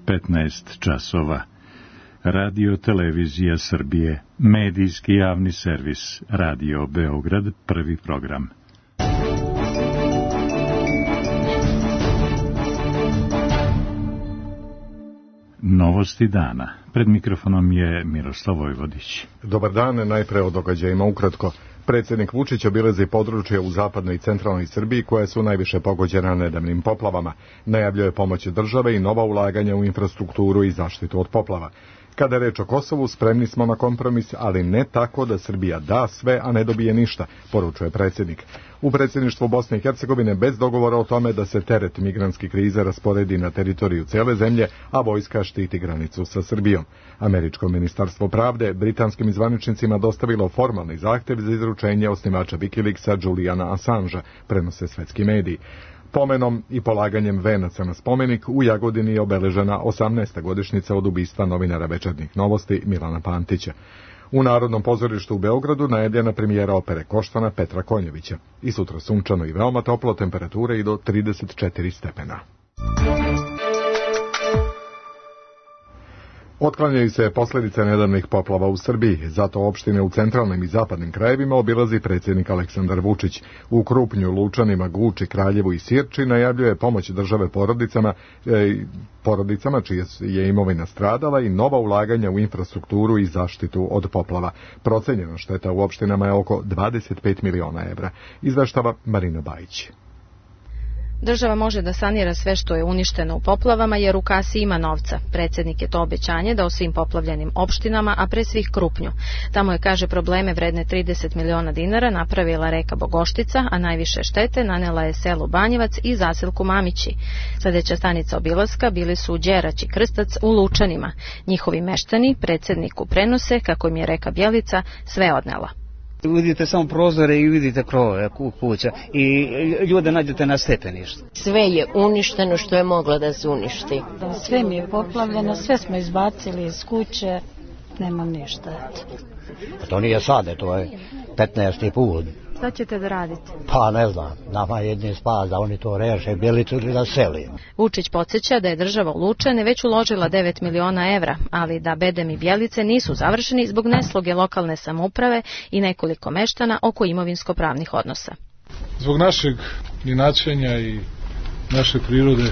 15 časova. Radio Televizija Srbije, medijski javni servis, Radio Beograd, prvi program. Novosti dana. Pred mikrofonom je Miroslav Vojvodić. Dobar dan, najpre o događajima ukratko. Predsjednik Vučić obilazi područje u zapadnoj i centralnoj Srbiji koje su najviše pogođena nedavnim poplavama. Najavljuje pomoć države i nova ulaganja u infrastrukturu i zaštitu od poplava. Kada je reč o Kosovu, spremni smo na kompromis, ali ne tako da Srbija da sve, a ne dobije ništa, poručuje predsjednik. U predsjedništvu Bosne i Hercegovine bez dogovora o tome da se teret migrantske krize rasporedi na teritoriju cijele zemlje, a vojska štiti granicu sa Srbijom. Američko ministarstvo pravde britanskim zvaničnicima dostavilo formalni zahtjev za izručenje osnivača Wikileaksa Juliana Assangea, prenose svetski mediji. Pomenom i polaganjem venaca na spomenik u Jagodini je obeležena 18. godišnjica od ubistva novinara Večernjih novosti Milana Pantića. U Narodnom pozorištu u Beogradu najavljena premijera opere Koštana Petra Konjevića. I sutra sunčano i veoma toplo, temperature i do 34 stepena. Otklanjaju se posljedice nedavnih poplava u Srbiji, zato opštine u centralnim i zapadnim krajevima obilazi predsjednik Aleksandar Vučić. U Krupnju, Lučanima, Guči, Kraljevu i Sirči najavljuje pomoć države porodicama čija je imovina stradala i nova ulaganja u infrastrukturu i zaštitu od poplava. Procenjena šteta u opštinama je oko 25 miliona evra, izveštava Marina Bajić. Država može da sanira sve što je uništeno u poplavama jer u kasi ima novca. Predsjednik je to obećanje dao svim poplavljenim opštinama, a pre svih Krupnju. Tamo je, kaže, probleme vredne 30 miliona dinara napravila reka Bogoštica, a najviše štete nanela je selu Banjevac i zaselku Mamići. Sledeća stanica obilaska bili su Đerać i Krstac u Lučanima. Njihovi meštani predsjedniku prenose kako im je reka Bjelica sve odnela. Vidite samo prozore i vidite krovove kuća i ljude nađete na stepeništu. Sve je uništeno što je moglo da se uništi. Sve mi je poplavljeno, sve smo izbacili iz kuće, nema ništa. To nije sade, to je 15. put. Šta ćete da radite? Pa ne znam, nama jedni spas da oni to reše, Bjelicu ili da seli. Vučić podsjeća da je država u Lučane već uložila 9 miliona evra, ali da bedem i Bjelice nisu završeni zbog nesloge lokalne samouprave i nekoliko meštana oko imovinsko-pravnih odnosa. Zbog našeg inačenja i naše prirode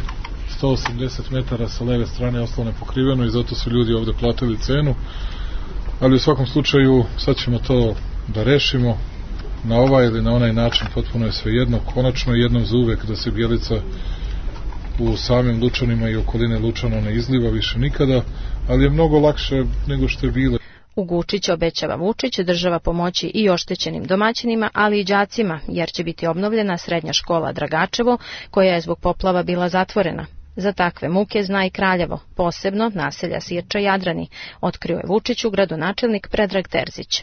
180 metara sa leve strane ostalo nepokriveno i zato su ljudi ovde platili cenu, ali u svakom slučaju sad ćemo to da rešimo. Na ovaj ili na onaj način potpuno je svejedno, konačno jednom za uvek da se Bjelica u samim Lučanima i okoline Lučana ne izliva više nikada, ali je mnogo lakše nego što je bilo. U Guči će, obećava Vučić, država pomoći i oštećenim domaćinima, ali i đacima, jer će biti obnovljena srednja škola Dragačevo, koja je zbog poplava bila zatvorena. Za takve muke zna i Kraljevo, posebno naselja Sirča i Jadrani, otkrio je Vučiću gradonačelnik Predrag Terzić.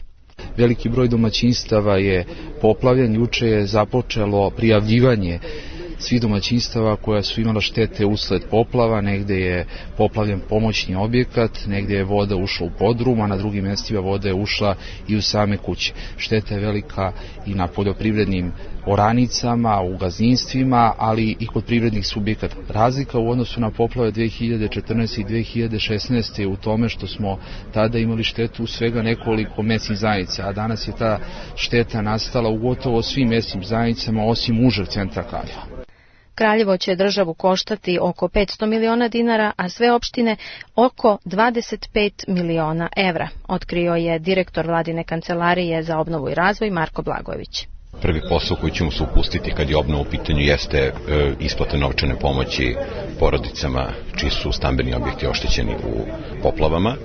Veliki broj domaćinstava je poplavljen, juče je započelo prijavljivanje svih domaćinstava koja su imala štete usled poplava, negde je poplavljen pomoćni objekat, negde je voda ušla u podrum, a na drugim mjestima voda je ušla i u same kuće. Šteta je velika i na poljoprivrednim oranicama, u gazdinstvima, ali i kod privrednih subjekata. Razlika u odnosu na poplave 2014. i 2016. je u tome što smo tada imali štetu u svega nekoliko mesnih zajednica, a danas je ta šteta nastala u gotovo svim mesnim zajednicama osim užeg centra Kraljeva. Kraljevo će državu koštati oko 500 miliona dinara, a sve opštine oko 25 miliona evra, otkrio je direktor vladine kancelarije za obnovu i razvoj Marko Blagojević. Prvi posao koji ćemo se upustiti kad je obnova u pitanju jeste isplata novčane pomoći porodicama čiji su stambeni objekti oštećeni u poplavama.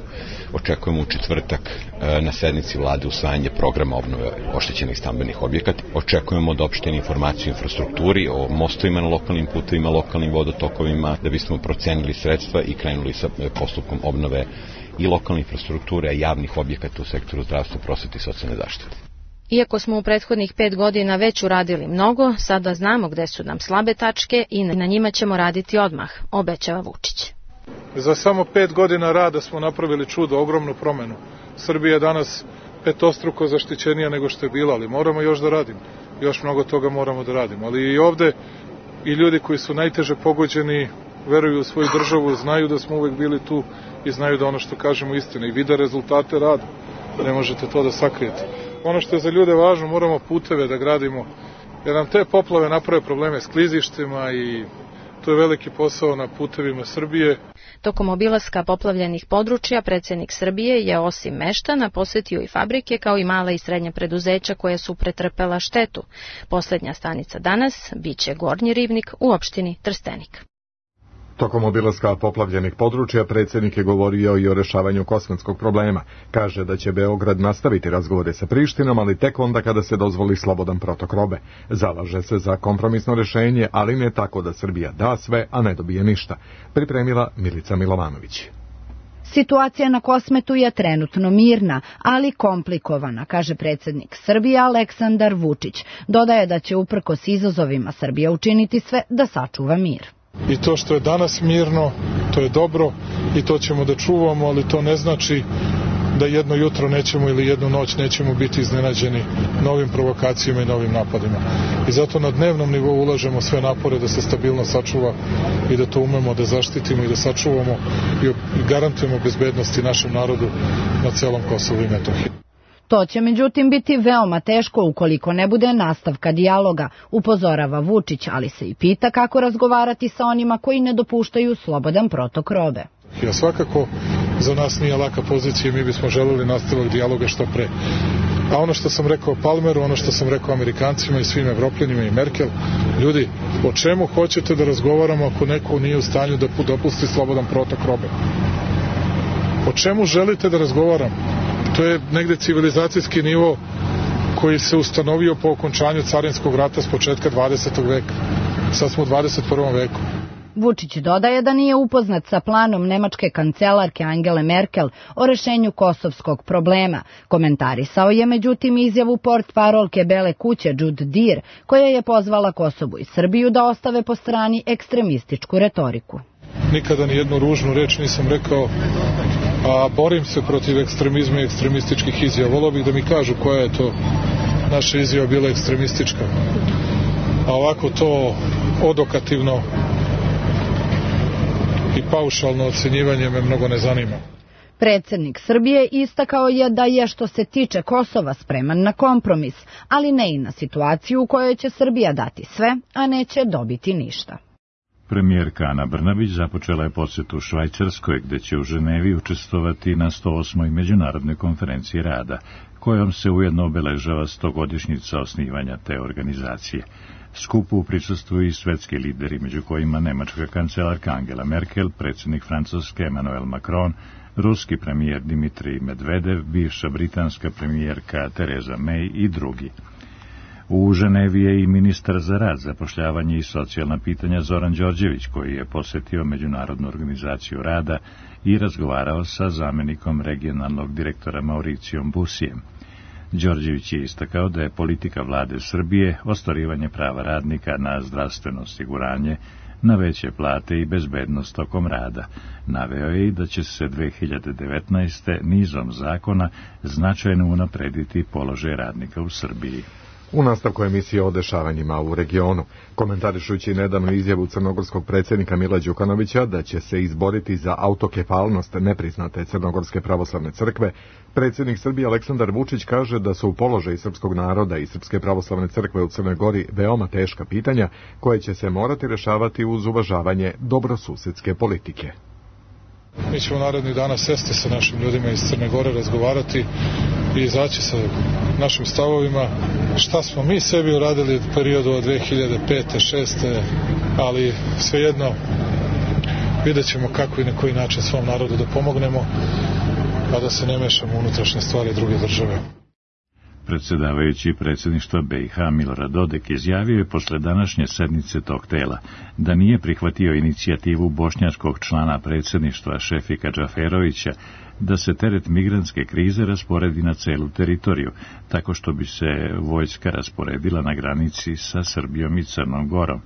Očekujemo u četvrtak na sednici vlade usvajanje programa obnove oštećenih stambenih objekata. Očekujemo da opštine informaciju o infrastrukturi, o mostovima na lokalnim putevima, lokalnim vodotokovima, da bismo procenili sredstva i krenuli sa postupkom obnove i lokalne infrastrukture, a javnih objekata u sektoru zdravstva, prosvete i socijalne zaštite. Iako smo u prethodnih 5 godina već uradili mnogo, sada znamo gde su nam slabe tačke i na njima ćemo raditi odmah, obećava Vučić. Za samo 5 godina rada smo napravili čudo, ogromnu promenu. Srbija je danas petostruko zaštićenija nego što je bila, ali moramo još da radimo. Još mnogo toga moramo da radimo. Ali i ovde i ljudi koji su najteže pogođeni veruju u svoju državu, znaju da smo uvek bili tu i znaju da ono što kažemo istina i vide rezultate rada. Ne možete to da sakrijete. Ono što je za ljude važno, moramo puteve da gradimo, jer nam te poplave naprave probleme s klizištima i to je veliki posao na putevima Srbije. Tokom obilaska poplavljenih područja, predsjednik Srbije je osim meštana posjetio i fabrike kao i mala i srednja preduzeća koja su pretrpela štetu. Posljednja stanica danas biće Gornji Ribnik u opštini Trstenik. Tokom obilaska poplavljenih područja predsjednik je govorio i o rešavanju kosmetskog problema. Kaže da će Beograd nastaviti razgovore sa Prištinom, ali tek onda kada se dozvoli slobodan protok robe. Zalaže se za kompromisno rešenje, ali ne tako da Srbija da sve, a ne dobije ništa. Pripremila Milica Milovanović. Situacija na Kosmetu je trenutno mirna, ali komplikovana, kaže predsjednik Srbije Aleksandar Vučić. Dodaje da će uprkos izazovima Srbija učiniti sve da sačuva mir. I to što je danas mirno, to je dobro i to ćemo da čuvamo, ali to ne znači da jedno jutro nećemo ili jednu noć nećemo biti iznenađeni novim provokacijama i novim napadima. I zato na dnevnom nivou ulažemo sve napore da se stabilno sačuva i da to umemo da zaštitimo i da sačuvamo i garantujemo bezbednosti našem narodu na celom Kosovu i Metohiji. To će međutim biti veoma teško ukoliko ne bude nastavka dijaloga, upozorava Vučić, ali se i pita kako razgovarati sa onima koji ne dopuštaju slobodan protok robe. Ja svakako za nas nije laka pozicija i mi bismo želeli nastavak dijaloga što pre. A ono što sam rekao Palmeru, ono što sam rekao Amerikancima i svim Evropljanima i Merkel, ljudi, o čemu hoćete da razgovaramo ako neko nije u stanju da dopusti slobodan protok robe? O čemu želite da razgovaramo? To je negde civilizacijski nivo koji se ustanovio po okončanju carinskog rata s početka 20. veka. Sad smo u 21. veku. Vučić dodaje da nije upoznat sa planom nemačke kancelarke Angele Merkel o rešenju kosovskog problema. Komentarisao je međutim izjavu portparolke Bele kuće Jude Deer, koja je pozvala Kosovo i Srbiju da ostave po strani ekstremističku retoriku. Nikada ni jednu ružnu reč nisam rekao, a borim se protiv ekstremizma i ekstremističkih izjava. Volio bih da mi kažu koja je to naša izjava bila ekstremistička. A ovako to odokativno i paušalno ocenjivanje me mnogo ne zanima. Predsjednik Srbije istakao je da je što se tiče Kosova spreman na kompromis, ali ne i na situaciju u kojoj će Srbija dati sve, a neće dobiti ništa. Premijerka Ana Brnabić započela je posjetu Švajcarskoj, gde će u Ženevi učestvovati na 108. međunarodnoj konferenciji rada, kojom se ujedno obeležava 100-godišnjica osnivanja te organizacije. Skupu prisustvuju i svetski lideri, među kojima nemačka kancelarka Angela Merkel, predsjednik Francuske Emmanuel Macron, ruski premijer Dimitrij Medvedev, bivša britanska premijerka Theresa May i drugi. U Ženevi je i ministar za rad, zapošljavanje i socijalna pitanja Zoran Đorđević, koji je posjetio Međunarodnu organizaciju rada i razgovarao sa zamjenikom regionalnog direktora Mauricijom Busijem. Đorđević je istakao da je politika vlade Srbije ostvarivanje prava radnika na zdravstveno osiguranje, na veće plate i bezbednost tokom rada. Naveo je i da će se 2019. nizom zakona značajno unaprediti položaj radnika u Srbiji. U nastavku emisije o dešavanjima u regionu, komentarišući nedavnu izjavu crnogorskog predsjednika Mila Đukanovića da će se izboriti za autokefalnost nepriznate Crnogorske pravoslavne crkve, predsjednik Srbije Aleksandar Vučić kaže da su u položaju srpskog naroda i Srpske pravoslavne crkve u Crnoj Gori veoma teška pitanja koje će se morati rešavati uz uvažavanje dobrosusedske politike. Mi ćemo narednih dana sesti sa našim ljudima iz Crne Gore, razgovarati i izaći sa našim stavovima šta smo mi sebi uradili u periodu od 2005. 2006. ali svejedno vidjet ćemo kako i na koji način svom narodu da pomognemo, a da se ne mešamo u unutrašnje stvari druge države. Predsjedavajući predsjedništva BiH Milorad Dodik izjavio je posle današnje sednice tog tela da nije prihvatio inicijativu bošnjačkog člana predsjedništva Šefika Džaferovića da se teret migrantske krize rasporedi na celu teritoriju, tako što bi se vojska rasporedila na granici sa Srbijom i Crnom Gorom.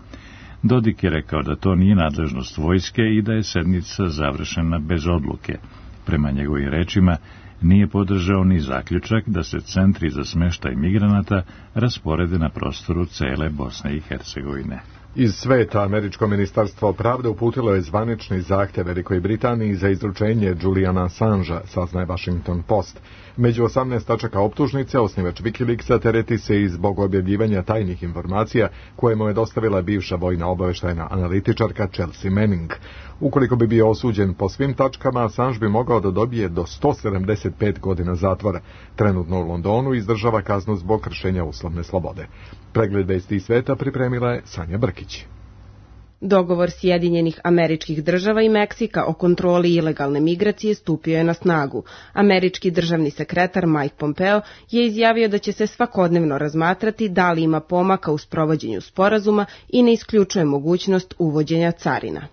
Dodik je rekao da to nije nadležnost vojske i da je sednica završena bez odluke. Prema njegovim rečima, nije podržao ni zaključak da se centri za smeštaj migranata rasporede na prostoru cele Bosne i Hercegovine. Iz sveta američko ministarstvo pravde uputilo je zvanični zahtev Velikoj Britaniji za izručenje Juliana Assangea, saznaje Washington Post. Među 18 tačaka optužnice osnivač Wikileaksa tereti se i zbog objavljivanja tajnih informacija koje mu je dostavila bivša vojna obaveštajna analitičarka Chelsea Manning. Ukoliko bi bio osuđen po svim tačkama, Assange bi mogao da dobije do 175 godina zatvora. Trenutno u Londonu izdržava kaznu zbog kršenja uslovne slobode. Pregled vesti iz sveta pripremila je Sanja Brkić. Dogovor Sjedinjenih Američkih Država i Meksika o kontroli ilegalne migracije stupio je na snagu. Američki državni sekretar Mike Pompeo je izjavio da će se svakodnevno razmatrati da li ima pomaka u sprovođenju sporazuma i ne isključuje mogućnost uvođenja carina.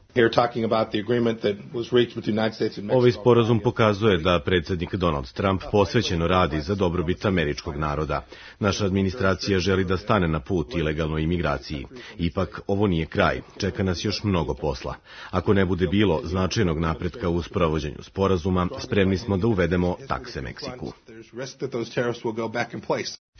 Ovaj sporazum pokazuje da predsjednik Donald Trump posvećeno radi za dobrobit američkog naroda. Naša administracija želi da stane na put ilegalnoj imigraciji. Ipak, ovo nije kraj. Čeka nas još mnogo posla. Ako ne bude bilo značajnog napretka u sprovođenju sporazuma, spremni smo da uvedemo takse Meksiku.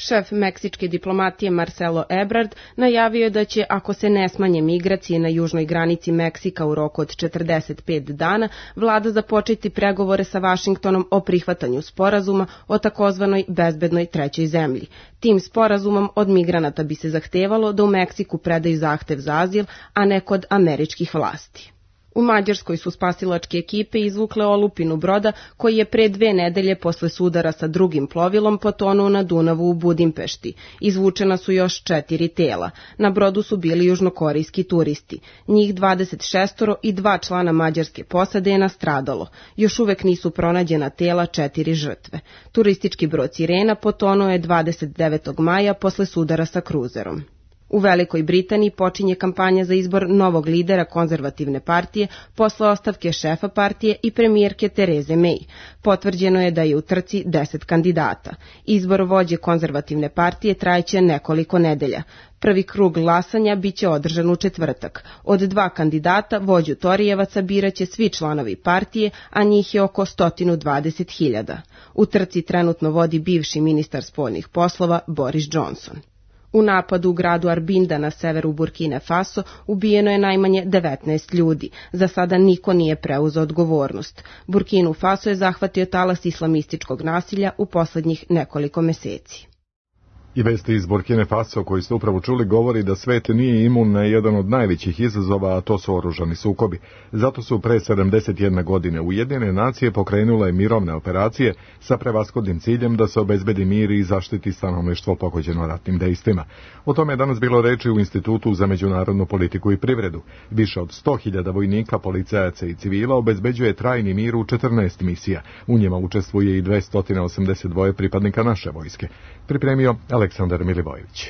Šef meksičke diplomatije Marcelo Ebrard najavio je da će, ako se ne smanje migracije na južnoj granici Meksika u roku od 45 dana, vlada započeti pregovore sa Vašingtonom o prihvatanju sporazuma o takozvanoj bezbednoj trećoj zemlji. Tim sporazumom od migranata bi se zahtevalo da u Meksiku predaju zahtev za azil, a ne kod američkih vlasti. U Mađarskoj su spasilačke ekipe izvukle olupinu broda koji je pre 2 nedelje posle sudara sa drugim plovilom potonuo na Dunavu u Budimpešti. Izvučena su još 4 tela. Na brodu su bili južnokorejski turisti. Njih 26 i 2 člana mađarske posade je nastradalo. Još uvek nisu pronađena tela 4 žrtve. Turistički brod Sirena potonuo je 29. maja posle sudara sa kruzerom. U Velikoj Britaniji počinje kampanja za izbor novog lidera konzervativne partije posle ostavke šefa partije i premijerke Tereze May. Potvrđeno je da je u trci 10 kandidata. Izbor vođe konzervativne partije trajeće nekoliko nedelja. Prvi krug glasanja biće održan u četvrtak. Od 2 kandidata, vođu Torijevaca biraće svi članovi partije, a njih je oko 120.000. U trci trenutno vodi bivši ministar spoljnih poslova Boris Johnson. U napadu u gradu Arbinda na severu Burkine Faso ubijeno je najmanje 19 ljudi. Za sada niko nije preuzeo odgovornost. Burkinu Faso je zahvatio talas islamističkog nasilja u poslednjih nekoliko meseci. I vesti iz Burkine Faso koji ste upravo čuli govori da svet nije imun na jedan od najvećih izazova, a to su oružani sukobi. Zato su pre 71 godine Ujedinjene nacije pokrenule mirovne operacije sa prevashodnim ciljem da se obezbedi mir i zaštiti stanovništvo pogođeno ratnim dejstvima. O tome je danas bilo reči u Institutu za međunarodnu politiku i privredu. Više od 100.000 vojnika, policajaca i civila obezbeđuje trajni mir u 14 misija. U njima učestvuje i 282 pripadnika naše vojske. Pripremio Aleksandar Milivojević.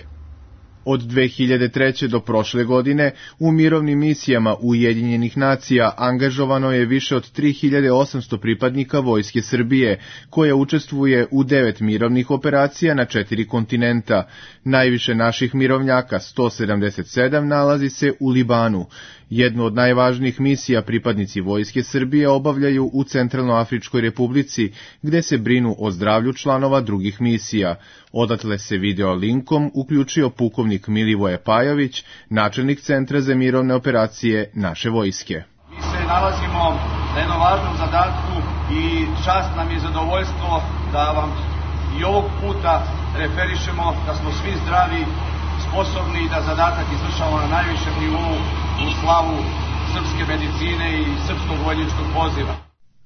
Od 2003. do prošle godine u mirovnim misijama Ujedinjenih nacija angažovano je više od 3800 pripadnika Vojske Srbije, koja učestvuje u 9 mirovnih operacija na 4 kontinenta. Najviše naših mirovnjaka, 177, nalazi se u Libanu. Jednu od najvažnijih misija pripadnici Vojske Srbije obavljaju u Centralnoafričkoj Republici, gde se brinu o zdravlju članova drugih misija. Odatle se video linkom uključio pukovnik Milivoje Pajović, načelnik Centra za mirovne operacije naše vojske. Mi se nalazimo na jednom važnom zadatku i čast nam je zadovoljstvo da vam i ovog puta referišemo da smo svi zdravi, sposobni i da zadatak izvršavamo na najvišem nivou u slavu srpske medicine i srpskog vojničkog poziva.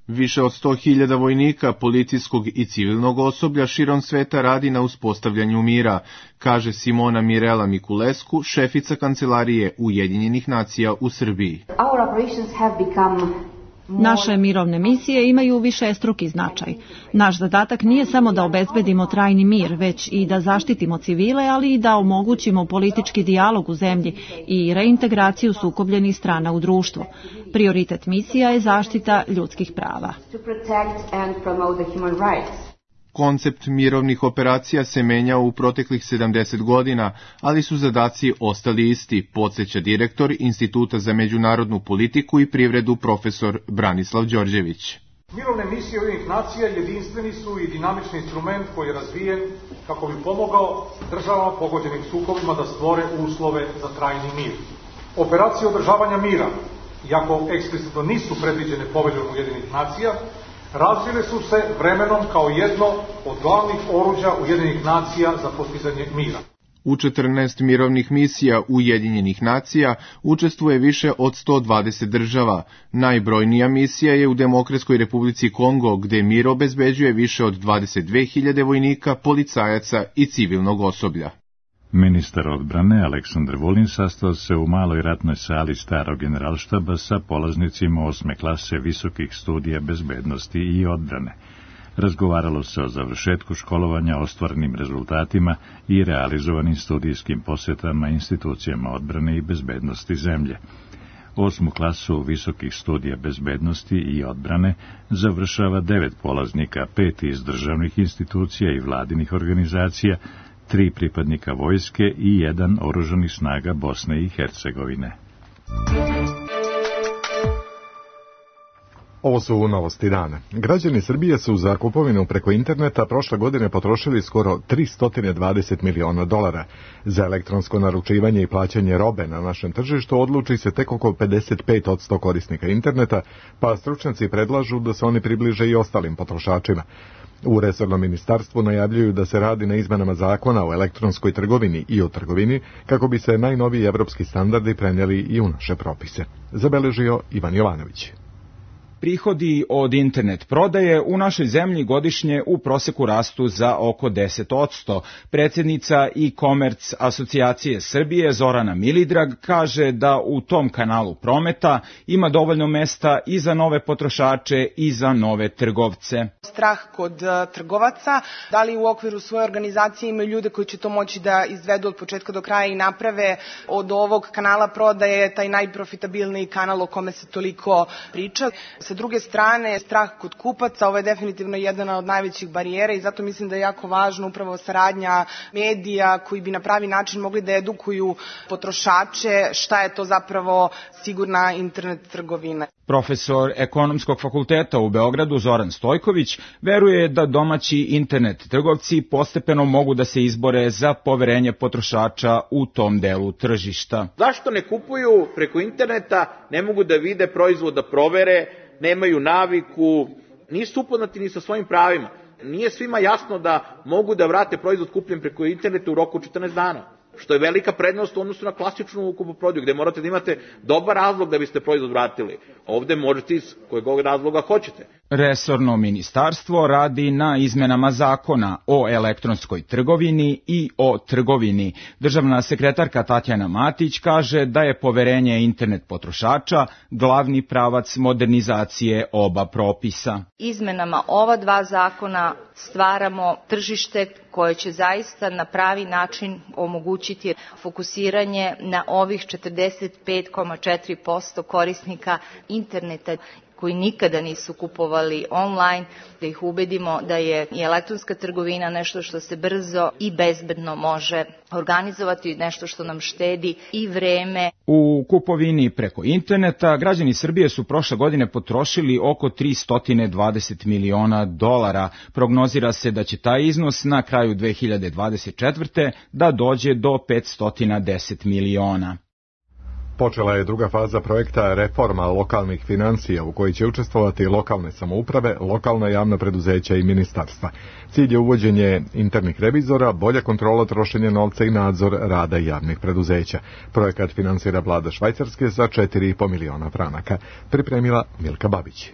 Više od 100.000 vojnika, policijskog i civilnog osoblja širom sveta radi na uspostavljanju mira, kaže Simona Mirela Mikulescu, šefica Kancelarije Ujedinjenih nacija u Srbiji. Naše mirovne misije imaju višestruki značaj. Naš zadatak nije samo da obezbedimo trajni mir, već i da zaštitimo civile, ali i da omogućimo politički dijalog u zemlji i reintegraciju sukobljenih strana u društvu. Prioritet misija je zaštita ljudskih prava. Koncept mirovnih operacija se menjao u proteklih 70 godina, ali su zadaci ostali isti, podsjeća direktor Instituta za međunarodnu politiku i privredu profesor Branislav Đorđević. Mirovne misije Ujedinjenih nacija jedinstveni su i dinamični instrument koji je razvijen kako bi pomogao državama pogođenim sukobima da stvore uslove za trajni mir. Operacije održavanja mira, iako eksplicitno nisu predviđene Poveljom Ujedinjenih nacija, razvile su se vremenom kao jedno od glavnih oruđa Ujedinjenih nacija za postizanje mira. U 14 mirovnih misija Ujedinjenih nacija učestvuje više od 120 država. Najbrojnija misija je u Demokratskoj Republici Kongo, gde mir obezbeđuje više od 22.000 vojnika, policajaca i civilnog osoblja. Ministar odbrane Aleksandar Vulin sastao se u maloj ratnoj sali starog generalštaba sa polaznicima 8. klase visokih studija bezbednosti i odbrane. Razgovaralo se o završetku školovanja, ostvarenim rezultatima i realizovanim studijskim posjetama institucijama odbrane i bezbednosti zemlje. 8. klasu visokih studija bezbednosti i odbrane završava 9 polaznika, 5 iz državnih institucija i vladinih organizacija, 3 pripadnika vojske i 1 oružanih snaga Bosne i Hercegovine. Ovo su novosti dana. Građani Srbije su za kupovinu preko interneta prošle godine potrošili skoro $320 miliona. Za elektronsko naručivanje i plaćanje robe na našem tržištu odluči se tek oko 55% korisnika interneta, pa stručnjaci predlažu da se oni približe i ostalim potrošačima. U resornom ministarstvu najavljuju da se radi na izmenama zakona o elektronskoj trgovini i o trgovini kako bi se najnoviji evropski standardi prenijeli i u naše propise. Zabeležio Ivan Jovanović. Prihodi od internet prodaje u našoj zemlji godišnje u proseku rastu za oko 10%. Predsjednica e-commerce asocijacije Srbije Zorana Milidrag kaže da u tom kanalu prometa ima dovoljno mesta i za nove potrošače i za nove trgovce. Strah kod trgovaca, da li u okviru svoje organizacije imaju ljude koji će to moći da izvedu od početka do kraja i naprave od ovog kanala prodaje taj najprofitabilniji kanal o kome se toliko priča. Sa druge strane, strah kod kupaca, ovo je definitivno jedna od najvećih barijera i zato mislim da je jako važno upravo saradnja medija koji bi na pravi način mogli da edukuju potrošače šta je to zapravo sigurna internet trgovina. Profesor Ekonomskog fakulteta u Beogradu Zoran Stojković veruje da domaći internet trgovci postepeno mogu da se izbore za poverenje potrošača u tom delu tržišta. Zašto ne kupuju preko interneta, ne mogu da vide proizvod, da provere, nemaju naviku, nisu upoznati ni sa svojim pravima. Nije svima jasno da mogu da vrate proizvod kupljen preko interneta u roku 14 dana. Što je velika prednost u odnosu na klasičnu kupoprodaju, gde morate da imate dobar razlog da biste proizvod vratili. Ovde možete iz kojeg razloga hoćete. Resorno ministarstvo radi na izmenama zakona o elektronskoj trgovini i o trgovini. Državna sekretarka Tatjana Matić kaže da je poverenje internet potrošača glavni pravac modernizacije oba propisa. Izmenama ova dva zakona stvaramo tržište koje će zaista na pravi način omogućiti fokusiranje na ovih 45,4% korisnika interneta koji nikada nisu kupovali online, da ih ubedimo da je i elektronska trgovina nešto što se brzo i bezbedno može organizovati, nešto što nam štedi i vreme. U kupovini preko interneta građani Srbije su prošle godine potrošili oko $320 miliona. Prognozira se da će taj iznos na kraju 2024. da dođe do 510 miliona. Počela je druga faza projekta reforma lokalnih financija u kojoj će učestvovati lokalne samouprave, lokalna javna preduzeća i ministarstva. Cilj je uvođenje internih revizora, bolja kontrola trošenja novca i nadzor rada javnih preduzeća. Projekat finansira vlada Švajcarske za 4,5 miliona franaka. Pripremila Milka Babić.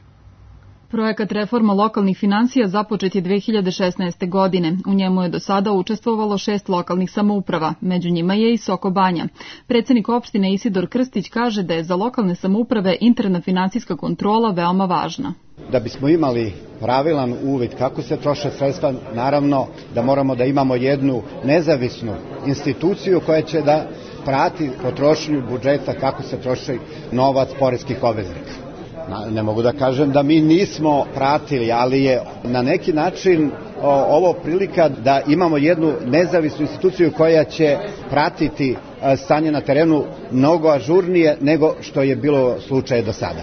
Projekat reforma lokalnih financija započet je 2016. godine. U njemu je do sada učestvovalo 6 lokalnih samouprava, među njima je i Soko Banja. Predsjednik opštine Isidor Krstić kaže da je za lokalne samouprave interna finansijska kontrola veoma važna. Da bismo imali pravilan uvid kako se troše sredstva, naravno da moramo da imamo jednu nezavisnu instituciju koja će da prati potrošnju budžeta, kako se troši novac poreskih obveznika. Ne mogu da kažem da mi nismo pratili, ali je na neki način ovo prilika da imamo jednu nezavisnu instituciju koja će pratiti stanje na terenu mnogo ažurnije nego što je bilo slučaj do sada.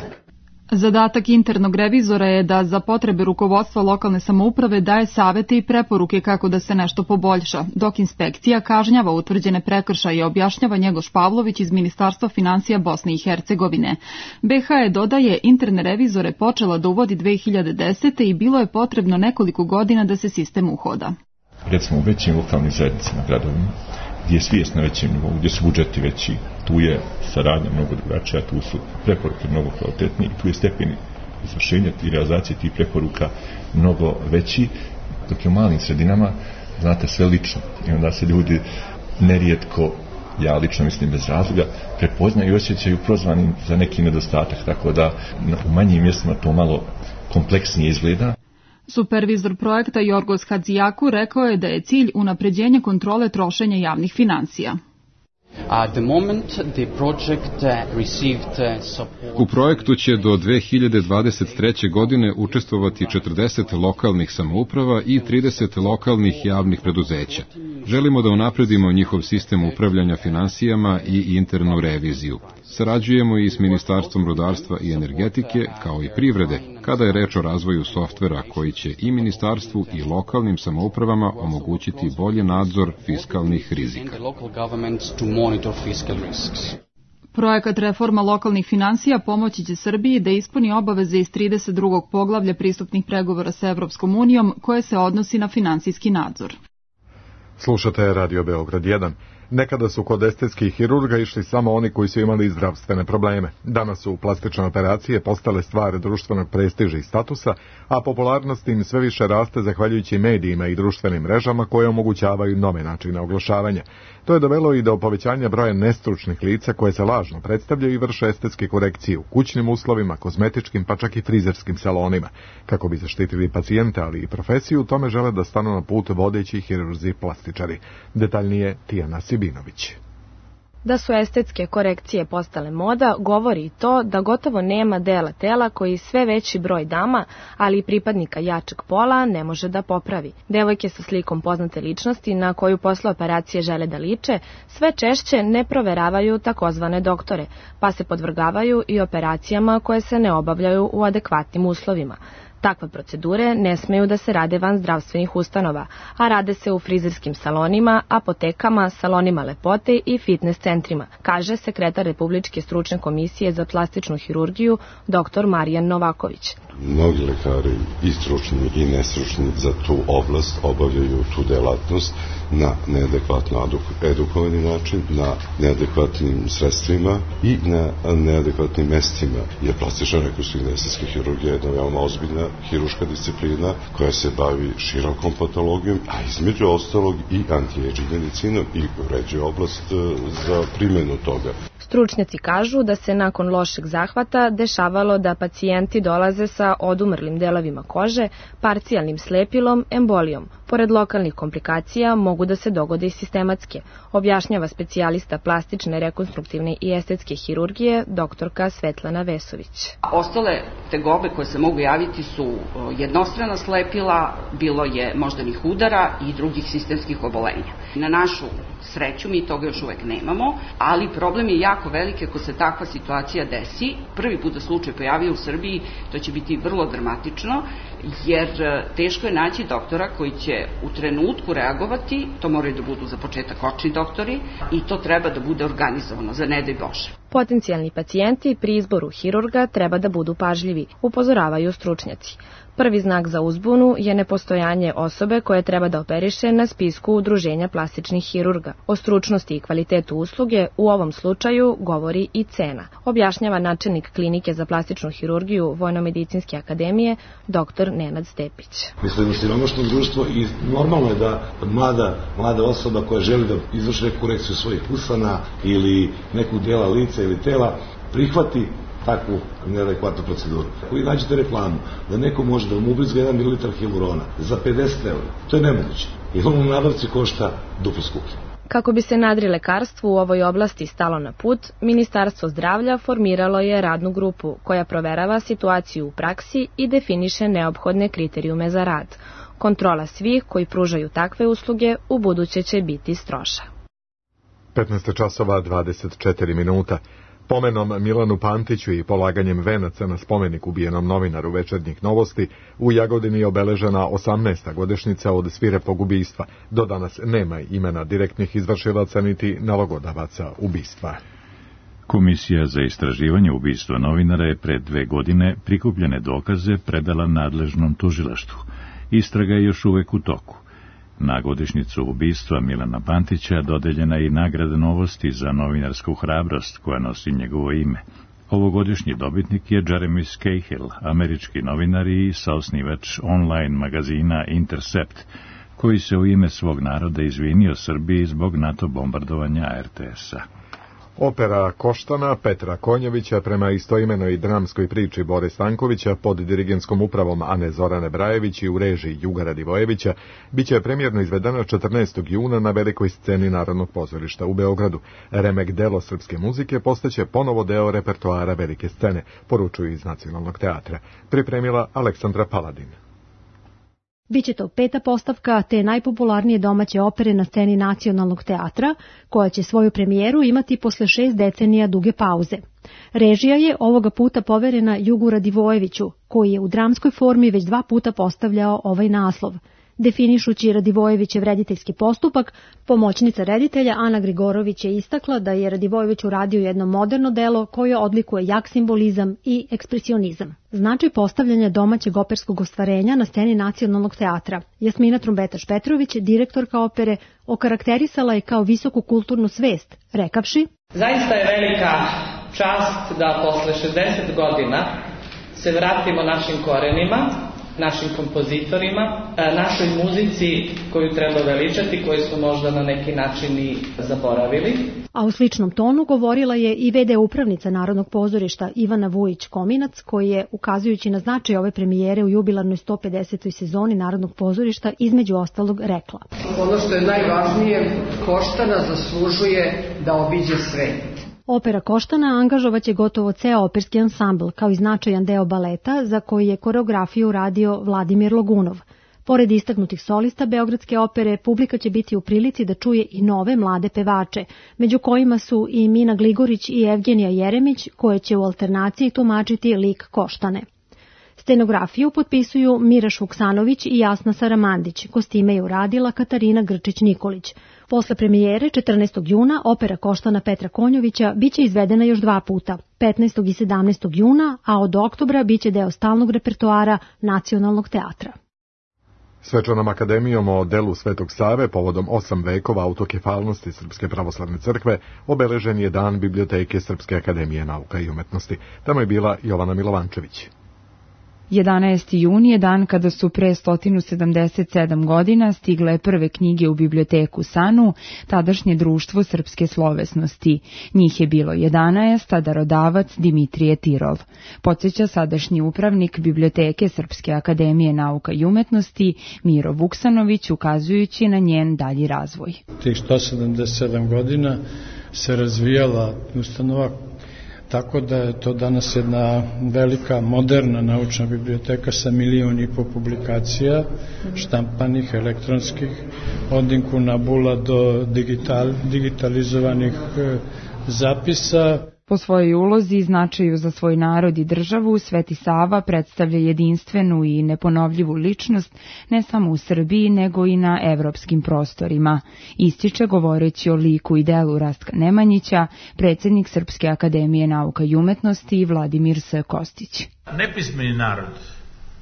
Zadatak internog revizora je da za potrebe rukovodstva lokalne samouprave daje savete i preporuke kako da se nešto poboljša, dok inspekcija kažnjava utvrđene prekršaje, objašnjava Njegoš Pavlović iz Ministarstva finansija Bosne i Hercegovine. BiH je, dodaje, interne revizore počela da uvodi 2010. i bilo je potrebno nekoliko godina da se sistem uhoda. Recimo u većim lokalnim zajednicama, gradovima, gdje je svijest na većem nivou, gdje su budžeti veći, tu je saradnja mnogo drugačija, tu su preporuke mnogo kvalitetnije i tu je stepen izvršenja i realizacije tih preporuka mnogo veći, dok je u malim sredinama, znate, sve lično. I onda se ljudi nerijetko, ja lično mislim bez razloga, prepoznaju i osjećaju prozvanim za neki nedostatak, tako da u manjim mjestima to malo kompleksnije izgleda. Supervizor projekta Jorgos Hadzijaku rekao je da je cilj unapređenje kontrole trošenja javnih financija. U projektu će do 2023. godine učestvovati 40 lokalnih samouprava i 30 lokalnih javnih preduzeća. Želimo da unapredimo njihov sistem upravljanja finansijama i internu reviziju. Sarađujemo i s Ministarstvom rudarstva i energetike, kao i privrede, kada je reč o razvoju softvera koji će i ministarstvu i lokalnim samoupravama omogućiti bolji nadzor fiskalnih rizika. Projekat reforma lokalnih finansija pomoći će Srbiji da ispuni obaveze iz 32. poglavlja pristupnih pregovora sa Evropskom unijom koje se odnosi na finansijski nadzor. Slušate Radio Beograd 1. Nekada su kod estetskih hirurga išli samo oni koji su imali zdravstvene probleme. Danas su plastične operacije postale stvar društvenog prestiža i statusa, a popularnost im sve više raste zahvaljujući medijima i društvenim mrežama koje omogućavaju nove načine oglašavanja. To je dovelo i do povećanja broja nestručnih lica koje se lažno predstavljaju i vrše estetske korekcije u kućnim uslovima, kozmetičkim pa čak i frizerskim salonima. Kako bi zaštitili pacijente, ali i profesiju, tome žele da stanu na put vodeći hirurzi plastičari. Detaljnije Tijana Sibinović. Da su estetske korekcije postale moda, govori i to da gotovo nema dela tela koji sve veći broj dama, ali i pripadnika jačeg pola, ne može da popravi. Devojke sa slikom poznate ličnosti na koju posle operacije žele da liče, sve češće ne proveravaju takozvane doktore, pa se podvrgavaju i operacijama koje se ne obavljaju u adekvatnim uslovima. Takve procedure ne smeju da se rade van zdravstvenih ustanova, a rade se u frizerskim salonima, apotekama, salonima lepote i fitness centrima, kaže sekretar Republičke stručne komisije za plastičnu hirurgiju dr. Marijan Novaković. Mnogi lekari, i stručni i nestručni, za tu oblast obavljaju tu delatnost na neadekvatno edukovani način, na neadekvatnim sredstvima i na neadekvatnim mestima. Jer plastična rekonstruktivna estetska hirurgija je jedna veoma ozbiljna hiruška disciplina koja se bavi širokom patologijom, a između ostalog i anti-aging medicinom i uređuje oblast za primjenu toga. Stručnjaci kažu da se nakon lošeg zahvata dešavalo da pacijenti dolaze sa odumrlim delovima kože, parcijalnim slepilom, embolijom. Pored lokalnih komplikacija mogu da se dogode i sistematske, objašnjava specijalista plastične, rekonstruktivne i estetske hirurgije doktorka Svetlana Vesović. Ostale tegobe koje se mogu javiti su jednostrana slepila, bilo je moždanih udara i drugih sistemskih obolenja. Na našu sreću mi toga još uvek nemamo, ali problem je jako veliki ako se takva situacija desi. Prvi put da slučaj pojavio u Srbiji, to će biti vrlo dramatično, jer teško je naći doktora koji će u trenutku reagovati, to moraju da budu za početak očni doktori i to treba da bude organizovano, za ne daj Bože. Potencijalni pacijenti pri izboru hirurga treba da budu pažljivi, upozoravaju stručnjaci. Prvi znak za uzbunu je nepostojanje osobe koje treba da operiše na spisku Udruženja plastičnih hirurga. O stručnosti i kvalitetu usluge u ovom slučaju govori i cena, objašnjava načelnik klinike za plastičnu hirurgiju Vojnomedicinske akademije dr. Nenad Stepić. Mislim, siromašno društvo i normalno je da mlada osoba koja želi da izvrši neku korekciju svojih usana ili neku dela lica ili tela prihvati takvu neadekvatnu proceduru. Ako vi nađete reklamu da neko može da vam ubrizga 1 ml hilurona za 50 €, to je nemoguće. I ono u nabavci košta duplo skuplje. Kako bi se nadrilekarstvu u ovoj oblasti stalo na put, Ministarstvo zdravlja formiralo je radnu grupu koja proverava situaciju u praksi i definiše neophodne kriterijume za rad. Kontrola svih koji pružaju takve usluge u buduće će biti stroža. 15 časova 24 minuta. Pomenom Milanu Pantiću i polaganjem venaca na spomenik ubijenom novinaru Večernjih novosti, u Jagodini je obeležena 18. godišnjica od svirepog ubistva. Do danas nema imena direktnih izvršilaca niti nalogodavaca ubistva. Komisija za istraživanje ubistva novinara je pred 2 godine prikupljene dokaze predala nadležnom tužilaštvu. Istraga je još uvek u toku. Na godišnjicu ubistva Milana Pantića dodeljena je i nagrada Novosti za novinarsku hrabrost koja nosi njegovo ime. Ovogodišnji dobitnik je Jeremy Scahill, američki novinar i saosnivač online magazina Intercept, koji se u ime svog naroda izvinio Srbiji zbog NATO bombardovanja RTS-a. Opera Koštana Petra Konjovića prema istoimenoj dramskoj priči Bore Stankovića pod dirigenskom upravom Ane Zorane Brajević i u režiji Juga Radivojevića biće premijerno izvedena 14. juna na velikoj sceni Narodnog pozorišta u Beogradu. Remek delo srpske muzike postaće ponovo deo repertoara velike scene, poručuju iz Nacionalnog teatra. Pripremila Aleksandra Paladin. Biće to 5. postavka te najpopularnije domaće opere na sceni Nacionalnog teatra, koja će svoju premijeru imati posle 6 decenija duge pauze. Režija je ovoga puta poverena Jugu Radivojeviću, koji je u dramskoj formi već 2 puta postavljao ovaj naslov. Definišući Radivojevićev rediteljski postupak, pomoćnica reditelja Ana Grigorović je istakla da je Radivojević uradio jedno moderno delo koje odlikuje jak simbolizam i ekspresionizam. Značaj postavljanja domaćeg operskog ostvarenja na sceni Nacionalnog teatra. Jasmina Trumbetaš-Petrović, direktorka opere, okarakterisala je kao visoku kulturnu svest, rekavši: Zaista je velika čast da posle 60 godina se vratimo našim korenima, našim kompozitorima, našoj muzici koju treba veličati, koju smo možda na neki način i zaboravili. A u sličnom tonu govorila je i v.d. upravnica Narodnog pozorišta Ivana Vujić-Kominac, koji je, ukazujući na značaj ove premijere u jubilarnoj 150. sezoni Narodnog pozorišta, između ostalog rekla: Ono što je najvažnije, Koštana zaslužuje da obiđe svet. Opera Koštana angažovaće gotovo ceo operski ansambl, kao i značajan deo baleta za koji je koreografiju uradio Vladimir Logunov. Pored istaknutih solista Beogradske opere, publika će biti u prilici da čuje i nove mlade pevače, među kojima su i Mina Gligorić i Evgenija Jeremić, koje će u alternaciji tumačiti lik Koštane. Scenografiju potpisuju Miraš Vuksanović i Jasna Saramandić, kostime je uradila Katarina Grčić-Nikolić. Posle premijere 14. juna opera Koštana Petra Konjovića biće izvedena još 2 puta, 15. i 17. juna, a od oktobra biće deo stalnog repertoara Nacionalnog teatra. Svečanom akademijom o delu Svetog Save povodom 8 vekova autokefalnosti Srpske pravoslavne crkve obeležen je dan Biblioteke Srpske akademije nauka i umetnosti. Tamo je bila Jovana Milovančević. 11. jun je dan kada su pre 177 godina stigle prve knjige u biblioteku SANU, tadašnje društvo srpske slovesnosti. Njih je bilo 11, a darodavac Dimitrije Tirov. Podsjeća sadašnji upravnik Biblioteke Srpske akademije nauka i umetnosti Miro Vuksanović, ukazujući na njen dalji razvoj. Tih 177 godina se razvijala ustanova, tako da je to danas jedna velika, moderna naučna biblioteka sa 1,5 miliona publikacija, štampanih, elektronskih, od inkunabula do digitalizovanih zapisa. Po svojoj ulozi i značaju za svoj narod i državu, Sveti Sava predstavlja jedinstvenu i neponovljivu ličnost ne samo u Srbiji, nego i na evropskim prostorima. Ističe govoreći o liku i delu Rastka Nemanjića, predsjednik Srpske akademije nauka i umetnosti Vladimir S. Kostić. Nepismeni narod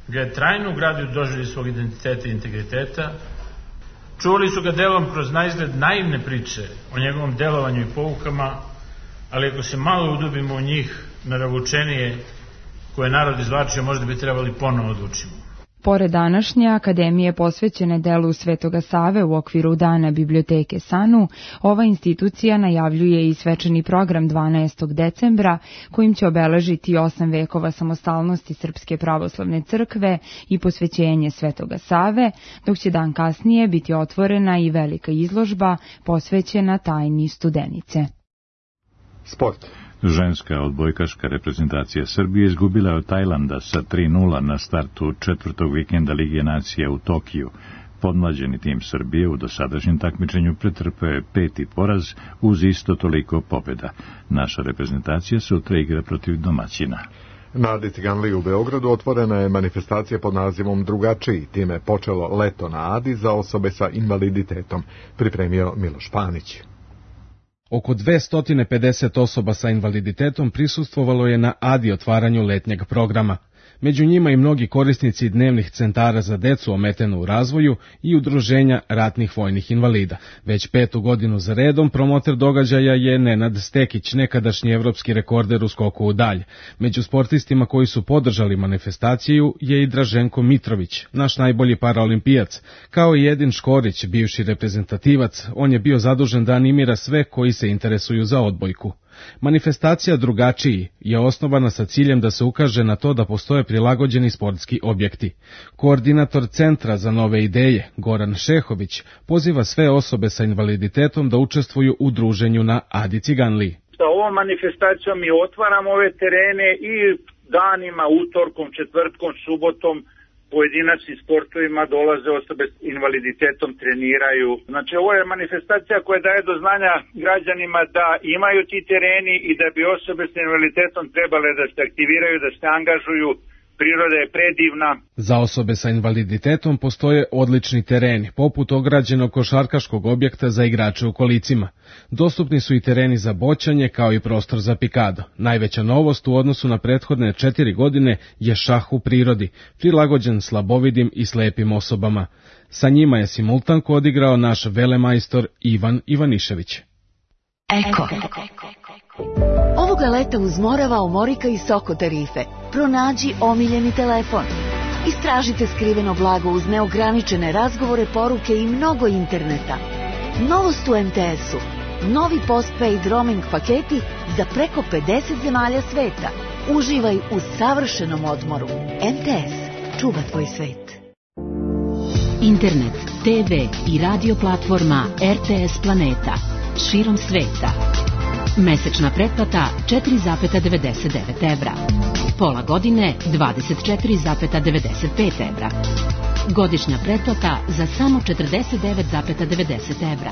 ga je trajno ugradio u doživljaj svog identiteta i integriteta. Čuvali su ga delom kroz naizgled naivne priče o njegovom delovanju i poukama, ali ako se malo udubimo u njih, naravučenije koje narod izvlačio, možda bi trebali ponovo odlučimo. Pored današnje akademije posvećene delu Svetoga Save u okviru Dana Biblioteke SANU, ova institucija najavljuje i svečani program 12. decembra, kojim će obeležiti 8 vekova samostalnosti Srpske pravoslavne crkve i posvećenje Svetoga Save, dok će dan kasnije biti otvorena i velika izložba posvećena tajni Studenice. Sport. Ženska odbojkaška reprezentacija Srbije izgubila je od Tajlanda sa 3:0 na startu 4. vikenda Lige nacija u Tokiju. Podmlađeni tim Srbije u dosadašnjem takmičenju pretrpeo je 5. poraz uz isto toliko pobjeda. Naša reprezentacija sutra igra protiv domaćina. Na Adici Ganliji u Beogradu otvorena je manifestacija pod nazivom Drugačiji. Time je počelo leto na Adi za osobe sa invaliditetom, pripremio Miloš Panić. Oko 250 osoba sa invaliditetom prisustvovalo je na Adi otvaranju letnjeg programa. Među njima i mnogi korisnici dnevnih centara za decu ometenu u razvoju i udruženja ratnih vojnih invalida. Već 5. godinu za redom promoter događaja je Nenad Stekić, nekadašnji evropski rekorder u skoku u dalj. Među sportistima koji su podržali manifestaciju je i Draženko Mitrović, naš najbolji paraolimpijac, kao i Edin Škorić, bivši reprezentativac. On je bio zadužen da animira sve koji se interesuju za odbojku. Manifestacija Drugačiji je osnovana sa ciljem da se ukaže na to da postoje prilagođeni sportski objekti. Koordinator Centra za nove ideje, Goran Šehović, poziva sve osobe sa invaliditetom da učestvuju u druženju na Adici Ganliji. Sa ovom manifestacijom mi otvaramo ove terene i danima, utorkom, četvrtkom, subotom, pojedinačnim sportovima dolaze osobe s invaliditetom, treniraju. Znači, ovo je manifestacija koja daje do znanja građanima da imaju ti tereni i da bi osobe s invaliditetom trebale da se aktiviraju, da se angažuju. Priroda je predivna. Za osobe sa invaliditetom postoje odlični tereni, poput ograđenog košarkaškog objekta za igrače u kolicima. Dostupni su i tereni za boćanje, kao i prostor za pikado. Najveća novost u odnosu na prethodne 4 godine je šah u prirodi, prilagođen slabovidim i slepim osobama. Sa njima je simultanko odigrao naš velemajstor Ivan Ivanišević. Eko. Ovoga leta uz Morava, Omorika i Soko tarife. Pronađi omiljeni telefon. Istražite skriveno blago uz neograničene razgovore, poruke i mnogo interneta. Novost u MTS-u. Novi postpaid roaming paketi za preko 50 zemalja sveta. Uživaj u savršenom odmoru. MTS. Čuva tvoj svet. Internet, TV i radio platforma RTS Planeta. Širom sveta. Mesečna pretplata 4,99 evra. Pola godine 24,95 evra. Godišnja pretplata za samo 49,90 evra.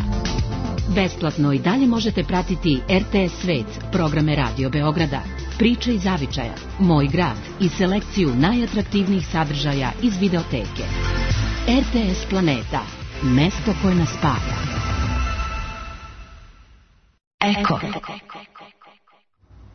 Besplatno i dalje možete pratiti RTS Svet, programe Radio Beograda, Priče iz zavičaja, Moj grad i selekciju najatraktivnijih sadržaja iz videoteke. RTS Planeta, mesto koje nas spaja. Eko.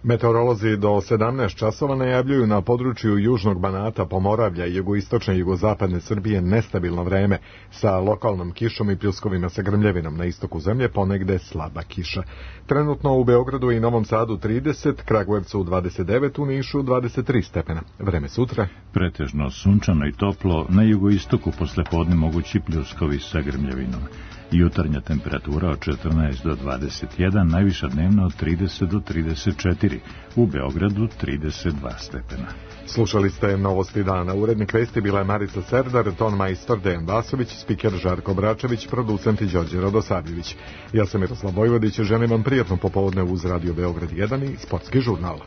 Meteorolozi do 17 časova najavljuju na području Južnog Banata, Pomoravlja i jugoistočne i jugozapadne Srbije nestabilno vreme sa lokalnom kišom i pljuskovima sa grmljevinom. Na istoku zemlje ponegde slaba kiša. Trenutno u Beogradu i Novom Sadu 30, Kragujevcu 29, u Nišu 23 stepena. Vreme sutra. Pretežno sunčano i toplo, na jugoistoku poslepodne mogući pljuskovi sa grmljevinom. Jutarnja temperatura od 14 do 21, najviša dnevna od 30 do 34, u Beogradu 32 stepena. Slušali ste Novosti dana. Urednik vesti bila je Marica Serdar, ton majstor Dejan Vasović, spiker Žarko Bračević, producent Đorđe Radosavljević. Ja sam Miroslav Vojvodić, želim vam prijatno popodne uz Radio Beograd 1 i Sportski žurnal.